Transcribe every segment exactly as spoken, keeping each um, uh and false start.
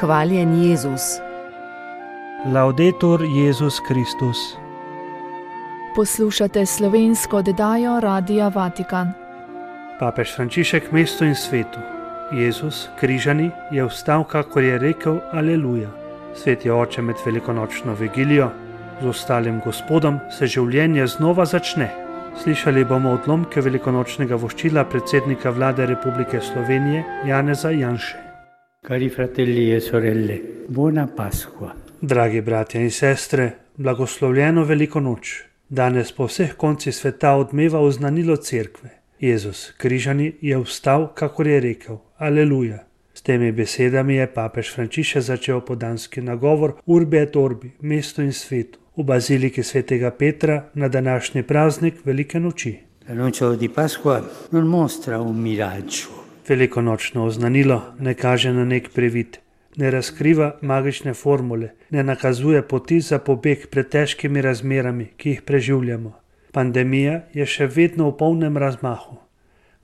Hvaljen Jezus. Laudetur Jezus Kristus. Poslušate slovensko oddajo Radia Vatikan. Papež Frančišek mestu in svetu. Jezus, križani, je vstal, kakor je rekel, aleluja. Sveti oče, med velikonočno vigilijo, z ostalim Gospodom se življenje znova začne. Slišali bomo odlomke velikonočnega voščila predsednika vlade Republike Slovenije Janeza Janše. Cari fratelli e sorelle, buona Pasqua. Dragi bratje in sestre, blagoslovljeno veliko noč. Danes po vseh koncih sveta odmeva oznanilo cerkve. Jezus, križani, je vstal, kakor je rekel, aleluja. S temi besedami je papež Frančišek začel podanski nagovor Urbi et Orbi, mestu in svetu, v baziliki svetega Petra na današnji praznik Velike noči. L'annuncio di Pasqua non mostra un miraggio. Velikonočno oznanilo ne kaže na nek previd, ne razkriva magične formule, ne nakazuje poti za pobeg pred težkimi razmerami, ki jih preživljamo. Pandemija je še vedno v polnem razmahu.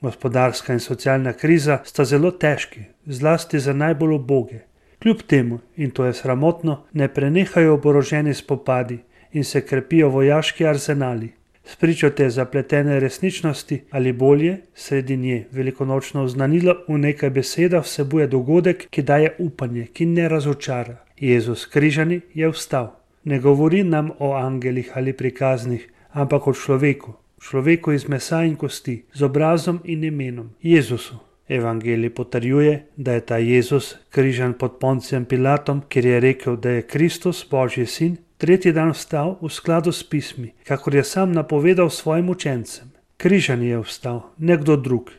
Gospodarska in socialna kriza sta zelo težki, zlasti za najbolj uboge. Kljub temu, in to je sramotno, ne prenehajo oboroženi spopadi in se krepijo vojaški arzenali. Spričo te zapletene resničnosti ali bolje, sredi nje velikonočno oznanilo v nekaj besedah vsebuje dogodek, ki daje upanje, ki ne razočara. Jezus križani je vstal. Ne govori nam o angelih ali prikaznih, ampak o človeku, človeku iz mesa in kosti, z obrazom in imenom, Jezusu. Evangelij potrjuje, da je ta Jezus križan pod Poncijem Pilatom, ker je rekel, da je Kristus, Božji sin, tretji dan vstal v skladu s pismi, kakor je sam napovedal svojim učencem. Križan je vstal, ne kdo drug.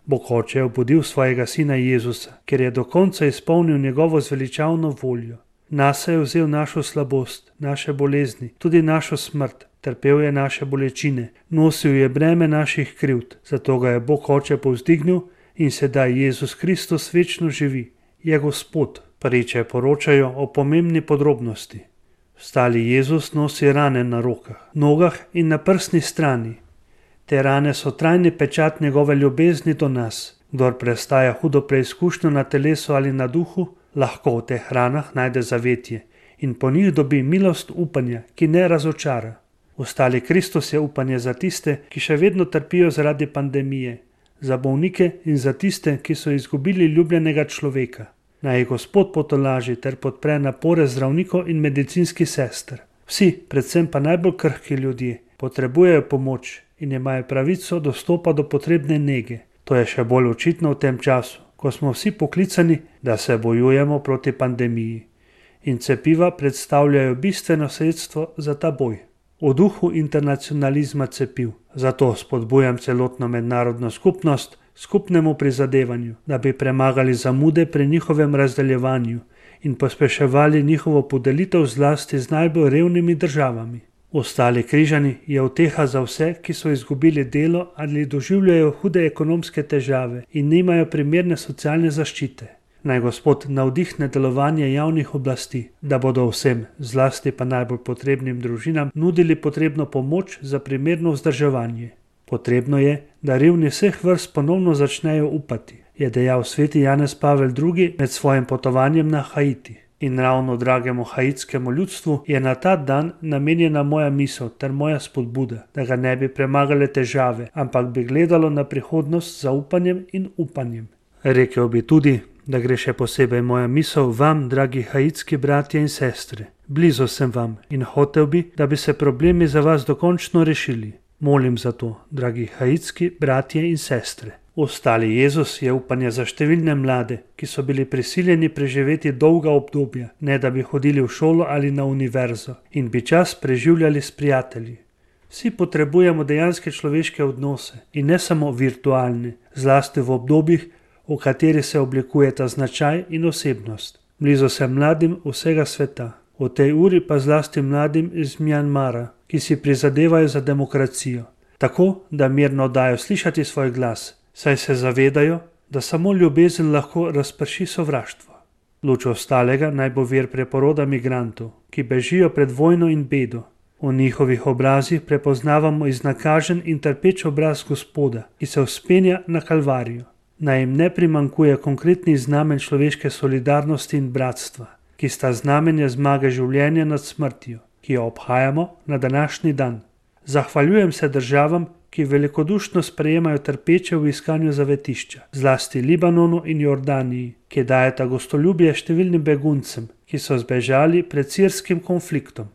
Bog Oče je obudil svojega sina Jezusa, ker je do konca izpolnil njegovo zveličavno voljo. Nase je vzel našo slabost, naše bolezni, tudi našo smrt, trpel je naše bolečine, nosil je breme naših krivd, zato ga je Bog Oče povzdignil in sedaj Jezus Kristus večno živi, je Gospod. Priče poročajo o pomembni podrobnosti. Vstali Jezus nosi rane na rokah, nogah in na prsni strani. Te rane so trajni pečat njegove ljubezni do nas. Kdor prestaja hudo preizkušnjo na telesu ali na duhu, lahko v teh ranah najde zavetje in po njih dobi milost upanja, ki ne razočara. Vstali Kristus je upanje za tiste, ki še vedno trpijo zaradi pandemije, za bolnike in za tiste, ki so izgubili ljubljenega človeka. Naj jih Gospod potolaži ter podpre napore zdravnikov in medicinskih sester. Vsi, predvsem pa najbolj krhki ljudje, potrebujejo pomoč in imajo pravico dostopa do potrebne nege. To je še bolj očitno v tem času, ko smo vsi poklicani, da se bojujemo proti pandemiji. In cepiva predstavljajo bistveno sredstvo za ta boj. V duhu internacionalizma cepiv. Zato spodbujam celotno mednarodno skupnost skupnemu prizadevanju, da bi premagali zamude pri njihovem razdeljevanju in pospeševali njihovo podelitev zlasti z najbolj revnimi državami. Ostali križani je uteha za vse, ki so izgubili delo ali doživljajo hude ekonomske težave in nimajo primerne socialne zaščite. Naj Gospod navdihne delovanje javnih oblasti, da bodo vsem, zlasti pa najbolj potrebnim družinam, nudili potrebno pomoč za primerno vzdrževanje. Potrebno je, da revni vseh vrst ponovno začnejo upati, je dejal sveti Janez Pavel drugi med svojim potovanjem na Haiti. In ravno dragemu haitskemu ljudstvu je na ta dan namenjena moja misel ter moja spodbuda, da ga ne bi premagale težave, ampak bi gledalo na prihodnost z zaupanjem in upanjem. Rekel bi tudi, da gre še posebej moja misel vam, dragi haitski bratje in sestre. Blizu sem vam in hotel bi, da bi se problemi za vas dokončno rešili. Molim za to, dragi haitski bratje in sestre. Ostali Jezus je upanje za številne mlade, ki so bili prisiljeni preživeti dolga obdobja, ne da bi hodili v šolo ali na univerzo in bi čas preživljali s prijatelji. Vsi potrebujemo dejanske človeške odnose in ne samo virtualne, zlasti v obdobjih, v kateri se oblikujeta značaj in osebnost. Blizu sem mladim vsega sveta, v tej uri pa zlasti mladim iz Mjanmara, ki si prizadevajo za demokracijo, tako da mirno dajo slišati svoj glas, saj se zavedajo, da samo ljubezen lahko razprši sovraštvo. Luč ostalega naj bo vir preporoda migrantov, ki bežijo pred vojno in bedo. V njihovih obrazih prepoznavamo iznakažen in trpeč obraz Gospoda, ki se vzpenja na Kalvarijo. Naj jim ne primanjkuje konkretnih znamen človeške solidarnosti in bratstva, ki sta znamenje zmage življenja nad smrtjo, ki jo obhajamo na današnji dan. Zahvaljujem se državam, ki velikodušno sprejemajo trpeče v iskanju zavetišča, zlasti Libanonu in Jordaniji, ki dajeta gostoljubje številnim beguncem, ki so zbežali pred sirskim konfliktom.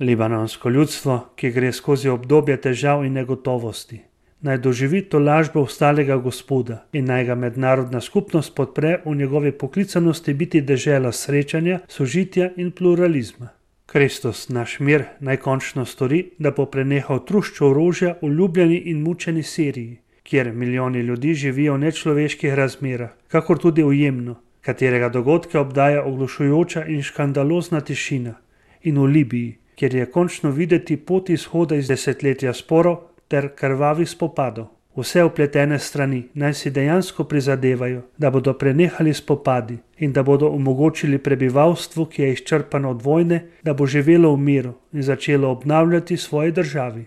Libanonsko ljudstvo, ki gre skozi obdobje težav in negotovosti, naj doživi tolažbo ostalega Gospoda in naj ga mednarodna skupnost podpre v njegovi poklicanosti biti dežela srečanja, sožitja in pluralizma. Kristus, naš mir, naj končno stori, da bo prenehal trušč orožja v ljubljeni in mučeni Siriji, kjer milijoni ljudi živijo v nečloveških razmerah, kakor tudi v Jemnu, katerega dogodke obdaja oglušujoča in škandalozna tišina, in v Libiji, kjer je končno videti pot izhoda iz desetletja sporov ter krvavih spopadov. Vse vpletene strani naj si dejansko prizadevajo, da bodo prenehali spopadi in da bodo omogočili prebivalstvu, ki je izčrpano od vojne, da bo živelo v miru in začelo obnavljati svoji državi.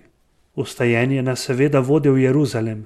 Vstajenje nas seveda vodi v Jeruzalem.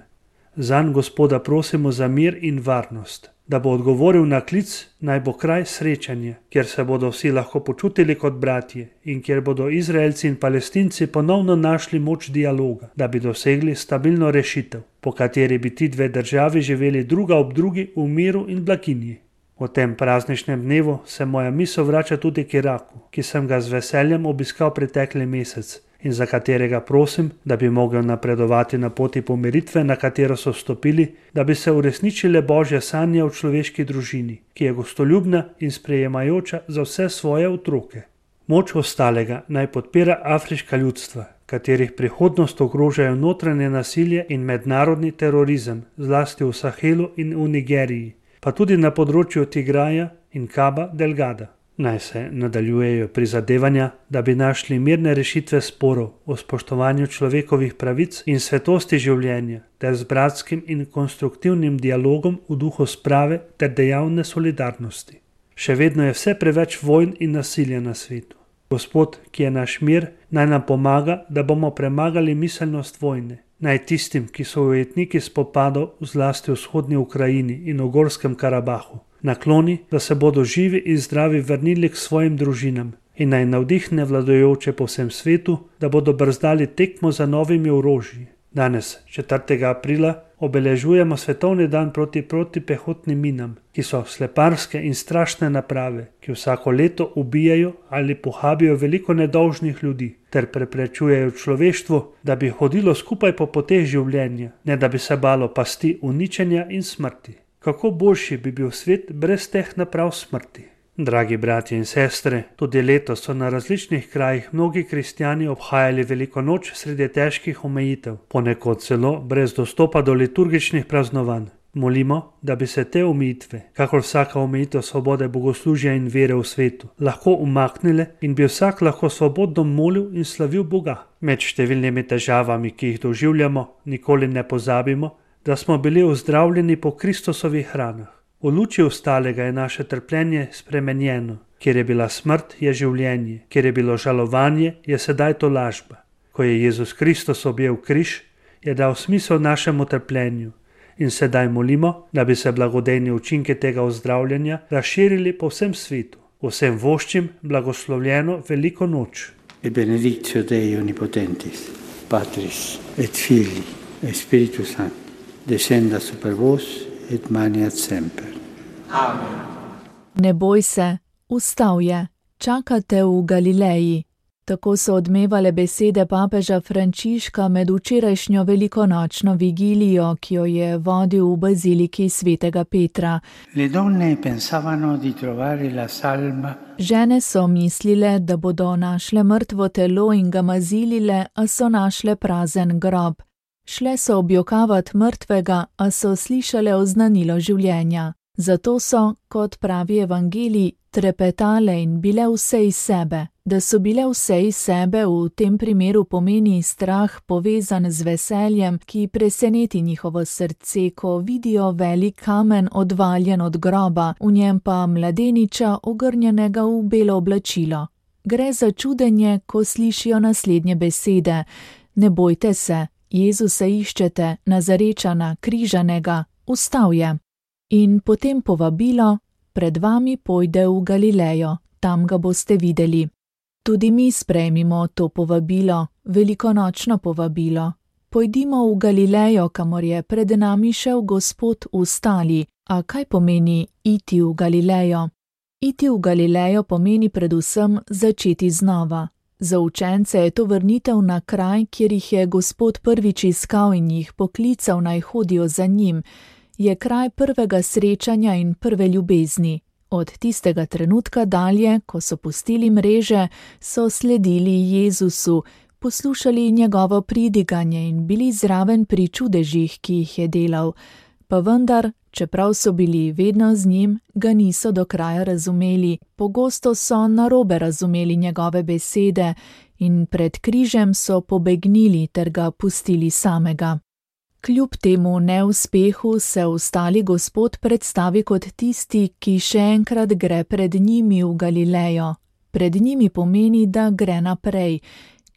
Zanj Gospoda prosimo za mir in varnost, da bo odgovoril na klic, naj bo kraj srečanja, kjer se bodo vsi lahko počutili kot bratje in kjer bodo Izraelci in Palestinci ponovno našli moč dialoga, da bi dosegli stabilno rešitev, po kateri bi ti dve državi živeli druga ob drugi v miru in blaginji. V tem prazničnem dnevu se moja misel vrača tudi k Iraku, ki sem ga z veseljem obiskal pretekli mesec in za katerega prosim, da bi mogel napredovati na poti pomiritve, na katero so stopili, da bi se uresničile Božje sanje v človeški družini, ki je gostoljubna in sprejemajoča za vse svoje otroke. Moč ostalega naj podpira afriška ljudstva, katerih prihodnost ogrožajo notranje nasilje in mednarodni terorizem, zlasti v Sahelu in v Nigeriji, pa tudi na področju Tigraja in Cabo Delgada. Naj se nadaljujejo prizadevanja, da bi našli mirne rešitve sporov o spoštovanju človekovih pravic in svetosti življenja ter z bratskim in konstruktivnim dialogom v duhu sprave ter dejavne solidarnosti. Še vedno je vse preveč vojn in nasilja na svetu. Gospod, ki je naš mir, naj nam pomaga, da bomo premagali miselnost vojne. Naj tistim, ki so ujetniki spopadov zlasti v vzhodni Ukrajini in v Gorskem Karabahu, nakloni, da se bodo živi in zdravi vrnili k svojim družinam in naj navdihne vladajoče po vsem svetu, da bodo brzdali tekmo za novimi orožji. Danes, četrtega aprila, obeležujemo svetovni dan proti protipehotnim minam, ki so sleparske in strašne naprave, ki vsako leto ubijajo ali pohabijo veliko nedolžnih ljudi ter preprečujejo človeštvu, da bi hodilo skupaj po poteh življenja, ne da bi se balo pasti uničenja in smrti. Kako boljši bi bil svet brez teh naprav smrti? Dragi bratje in sestre, tudi letos so na različnih krajih mnogi kristjani obhajali veliko noč sredi težkih omejitev, ponekod celo brez dostopa do liturgičnih praznovanj. Molimo, da bi se te omejitve, kakor vsaka omejitev svobode bogoslužja in vere v svetu, lahko umaknile in bi vsak lahko svobodno molil in slavil Boga. Med številnimi težavami, ki jih doživljamo, nikoli ne pozabimo, da smo bili ozdravljeni po Kristusovih ranah. V luči ostalega je naše trpljenje spremenjeno. Kjer je bila smrt, je življenje. Kjer je bilo žalovanje, je sedaj tolažba. Ko je Jezus Kristus objel križ, je dal smisel našemu trpljenju. In sedaj molimo, da bi se blagodejni učinki tega ozdravljanja razširili po vsem svetu. Vsem voščim blagoslovljeno veliko noč. E benedictio Dei Omnipotentis, Patris et Filii et Spiritus Sancti, descenda super vos et maniat semper. Amen. Ne boj se, vstal je, čaka te v Galileji. Tako so odmevale besede papeža Frančiška med včerajšnjo velikonočno vigilijo, ki jo je vodil v baziliki svetega Petra. Le donne pensavano di trovare la salma. Žene so mislile, da bodo našle mrtvo telo in ga mazilile, a so našle prazen grob. Šle so objokavat mrtvega, a so slišale oznanilo življenja. Zato so, kot pravi evangelij, trepetale in bile vse iz sebe. Da so bile vse iz sebe v tem primeru pomeni strah povezan z veseljem, ki preseneti njihovo srce, ko vidijo velik kamen odvaljen od groba, v njem pa mladeniča ogrnjenega v belo oblačilo. Gre za čudenje, ko slišijo naslednje besede. Ne bojte se, Jezusa iščete, Nazarečana, križanega, vstal je. In potem povabilo: pred vami pojde v Galilejo, tam ga boste videli. Tudi mi sprejmimo to povabilo, velikonočno povabilo. Pojdimo v Galilejo, kamor je pred nami šel Gospod v stali. A kaj pomeni iti v Galilejo? Iti v Galilejo pomeni predvsem začeti znova. Za učence je to vrnitev na kraj, kjer jih je Gospod prvič iskal in jih poklical, naj hodijo za njim. Je kraj prvega srečanja in prve ljubezni. Od tistega trenutka dalje, ko so pustili mreže, so sledili Jezusu, poslušali njegovo pridiganje in bili zraven pri čudežih, ki jih je delal. Pa vendar, čeprav so bili vedno z njim, ga niso do kraja razumeli. Pogosto so narobe razumeli njegove besede in pred križem so pobegnili ter ga pustili samega. Kljub temu neuspehu se ostali Gospod predstavi kot tisti, ki še enkrat gre pred njimi v Galilejo. Pred njimi pomeni, da gre naprej.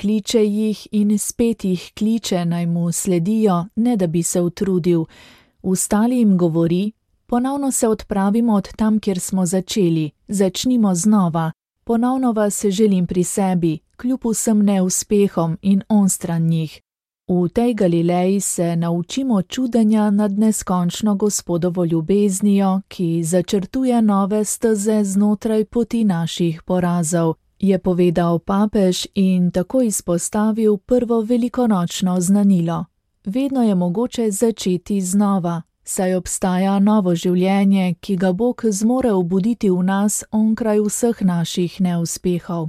Kliče jih in spet jih kliče, naj mu sledijo, ne da bi se utrudil. Vstali jim govori: ponovno se odpravimo od tam, kjer smo začeli, začnimo znova. Ponovno vas želim pri sebi, kljub vsem neuspehom in onstran njih. V tej Galileji se naučimo čudenja nad neskončno Gospodovo ljubeznijo, ki začrtuje nove steze znotraj poti naših porazov, je povedal papež in tako izpostavil prvo velikonočno znanilo. Vedno je mogoče začeti znova, saj obstaja novo življenje, ki ga Bog zmore obuditi v nas onkraj vseh naših neuspehov.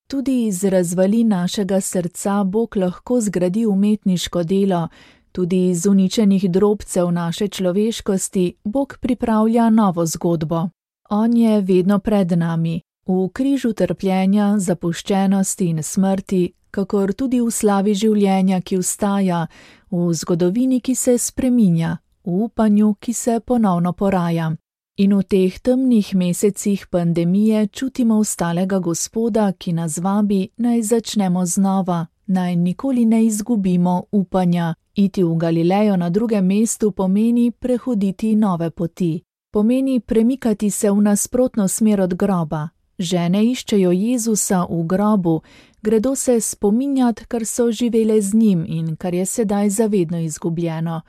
Tudi iz razvalin našega srca Bog lahko zgradi umetniško delo, tudi iz uničenih drobcev naše človeškosti Bog pripravlja novo zgodbo. On je vedno pred nami, v križu trpljenja, zapuščenosti in smrti, kakor tudi v slavi življenja, ki vstaja, v zgodovini, ki se spreminja, v upanju, ki se ponovno poraja. In v teh temnih mesecih pandemije čutimo vstalega Gospoda, ki nas vabi, naj začnemo znova, naj nikoli ne izgubimo upanja. Iti v Galilejo na drugem mestu pomeni prehoditi nove poti. Pomeni premikati se v nasprotno smer od groba. Žene iščejo Jezusa v grobu, gredo se spominjat, kar so živele z njim in kar je sedaj zavedno izgubljeno.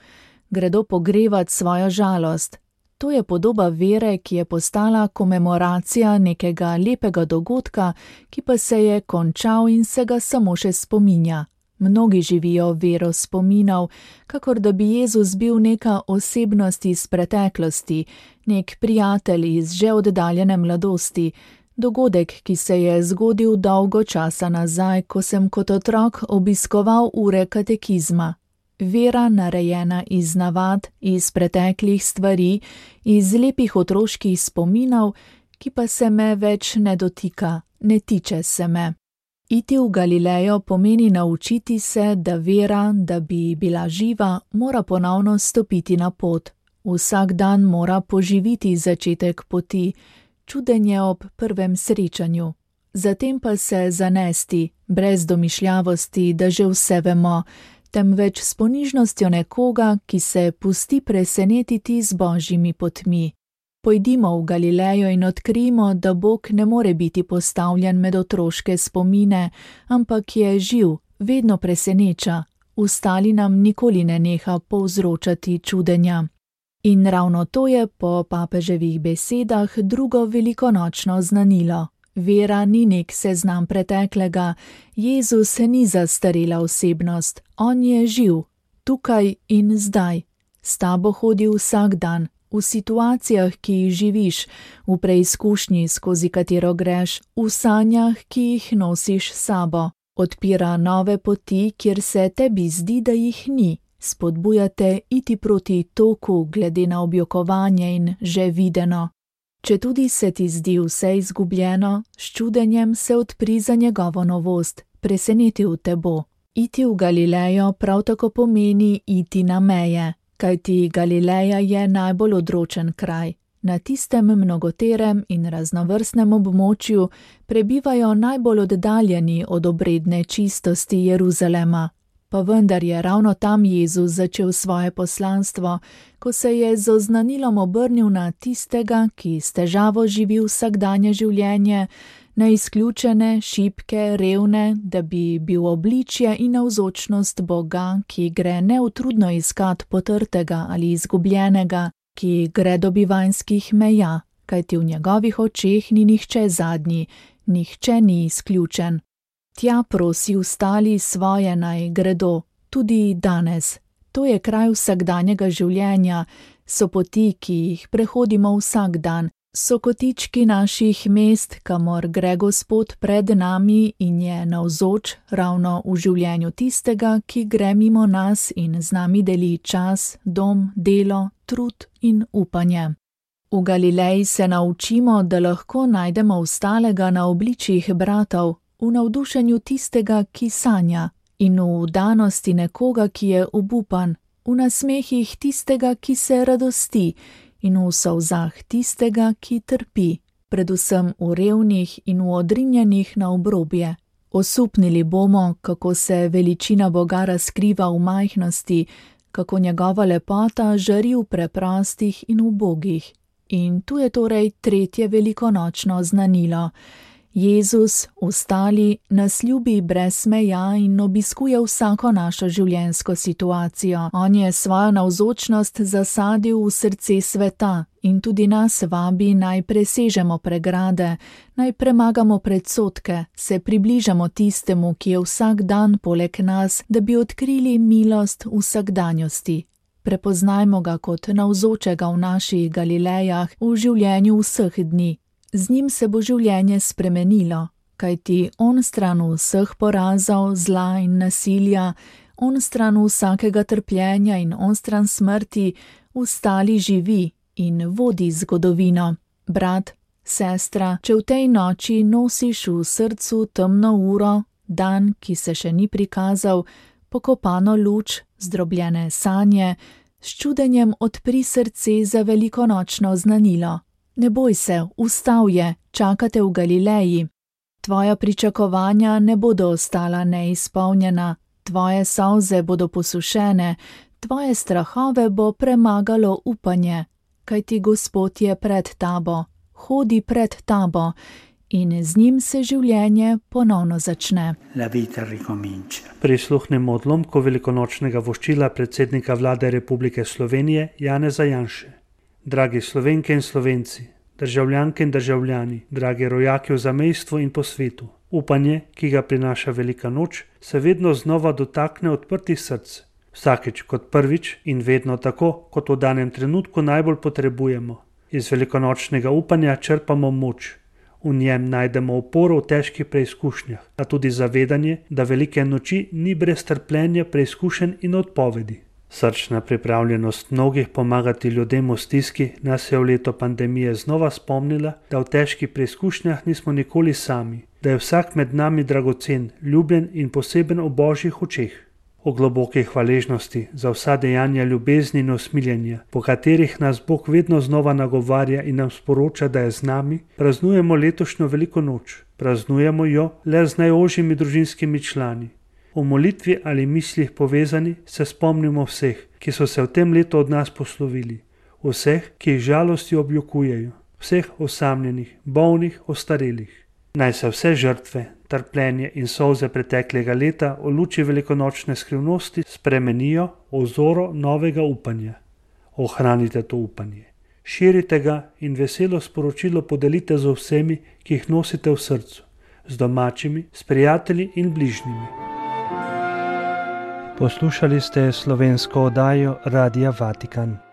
Gredo pogrevat svojo žalost. To je podoba vere, ki je postala komemoracija nekega lepega dogodka, ki pa se je končal in se ga samo še spominja. Mnogi živijo vero spominov, kakor da bi Jezus bil neka osebnost iz preteklosti, nek prijatelj iz že oddaljene mladosti, dogodek, ki se je zgodil dolgo časa nazaj, ko sem kot otrok obiskoval ure katekizma. Vera narejena iz navad, iz preteklih stvari, iz lepih otroških spominov, ki pa se me več ne dotika, ne tiče se me. Iti v Galilejo pomeni naučiti se, da vera, da bi bila živa, mora ponovno stopiti na pot. Vsak dan mora poživiti začetek poti, čudenje ob prvem srečanju. Zatem pa se zanesti, brez domišljavosti, da že vse vemo, temveč s ponižnostjo nekoga, ki se pusti presenetiti z božjimi potmi. Pojdimo v Galilejo in odkrijmo, da Bog ne more biti postavljen med otroške spomine, ampak je živ, vedno preseneča, vstali nam nikoli ne neha povzročati čudenja. In ravno to je po papeževih besedah drugo velikonočno znanilo. Vera ni nek seznam preteklega, Jezus ni zastarela osebnost, on je živ, tukaj in zdaj. S tabo hodi vsak dan, v situacijah, ki jih živiš, v preizkušnji, skozi katero greš, v sanjah, ki jih nosiš s sabo. Odpira nove poti, kjer se tebi zdi, da jih ni. Spodbujate iti proti toku glede na objokovanje in že videno. Če tudi se ti zdi vse izgubljeno, s čudenjem se odpri za njegovo novost, presenetil te bo. Iti v Galilejo prav tako pomeni iti na meje, kajti Galileja je najbolj odročen kraj. Na tistem mnogoterem in raznovrstnem območju prebivajo najbolj oddaljeni od obredne čistosti Jeruzalema. Pa vendar je ravno tam Jezus začel svoje poslanstvo, ko se je z oznanilom obrnil na tistega, ki s težavo živi vsakdanje življenje, na izključene, šibke, revne, da bi bil obličje in navzočnost Boga, ki gre neutrudno iskat potrtega ali izgubljenega, ki gre do bivanjskih meja, kajti v njegovih očeh ni nihče zadnji, nihče ni izključen. Tja prosi ostali svoje naj gredo, tudi danes. To je kraj vsakdanjega življenja, so poti, ki jih prehodimo vsak dan, so kotički naših mest, kamor gre Gospod pred nami in je navzoč ravno v življenju tistega, ki gre mimo nas in z nami deli čas, dom, delo, trud in upanje. V Galileji se naučimo, da lahko najdemo ostalega na obličjih bratov, v navdušenju tistega, ki sanja, in v vdanosti nekoga, ki je obupan, v nasmehih tistega, ki se radosti, in v solzah tistega, ki trpi, predvsem v revnih in v odrinjenih na obrobje. Osupnili bomo, kako se veličina Boga razkriva v majhnosti, kako njegova lepota žari v preprostih in ubogih. In tu je torej tretje velikonočno znanilo. Jezus, ostali, nas ljubi brez meja in obiskuje vsako našo življenjsko situacijo. On je svojo navzočnost zasadil v srce sveta in tudi nas vabi, naj presežemo pregrade, naj premagamo predsodke, se približamo tistemu, ki je vsak dan poleg nas, da bi odkrili milost vsakdanjosti. Prepoznajmo ga kot navzočega v naših Galilejah v življenju vseh dni. Z njim se bo življenje spremenilo, kajti on stran vseh porazov, zla in nasilja, on stran vsakega trpljenja in on stran smrti, ostali živi in vodi zgodovino. Brat, sestra, če v tej noči nosiš v srcu temno uro, dan, ki se še ni prikazal, pokopano luč, zdrobljene sanje, s čudenjem odpri srce za velikonočno znanilo. Ne boj se, vstal je, čakate v Galileji. Tvoja pričakovanja ne bodo ostala neizpolnjena, tvoje solze bodo posušene, tvoje strahove bo premagalo upanje, kajti Gospod je pred tabo, hodi pred tabo in z njim se življenje ponovno začne. La vita ricomincia. Prisluhnemo odlomku velikonočnega voščila predsednika vlade Republike Slovenije Janeza Janše. Dragi Slovenke in Slovenci, državljanke in državljani, dragi rojaki v zamejstvu in po svetu, upanje, ki ga prinaša velika noč, se vedno znova dotakne odprtih src. Vsakič kot prvič in vedno tako, kot v danem trenutku najbolj potrebujemo. Iz velikonočnega upanja črpamo moč. V njem najdemo oporo v težkih preizkušnjah, a tudi zavedanje, da velike noči ni brez trpljenja, preizkušenj in odpovedi. Srčna pripravljenost mnogih pomagati ljudem v stiski nas je v leto pandemije znova spomnila, da v težkih preizkušnjah nismo nikoli sami, da je vsak med nami dragocen, ljubljen in poseben v Božjih očeh. O globoki hvaležnosti za vsa dejanja ljubezni in usmiljenja, po katerih nas Bog vedno znova nagovarja in nam sporoča, da je z nami, praznujemo letošnjo veliko noč. Praznujemo jo le z najožjimi družinskimi člani. V molitvi ali mislih povezani se spomnimo vseh, ki so se v tem letu od nas poslovili, vseh, ki jih žalosti objokujejo, vseh osamljenih, bolnih, ostarelih. Naj se vse žrtve, trpljenje in solze preteklega leta v luči velikonočne skrivnosti spremenijo v vzoro novega upanja. Ohranite to upanje, širite ga in veselo sporočilo podelite z vsemi, ki jih nosite v srcu, z domačimi, s prijatelji in bližnjimi. Poslušali ste slovensko oddajo Radia Vatikan.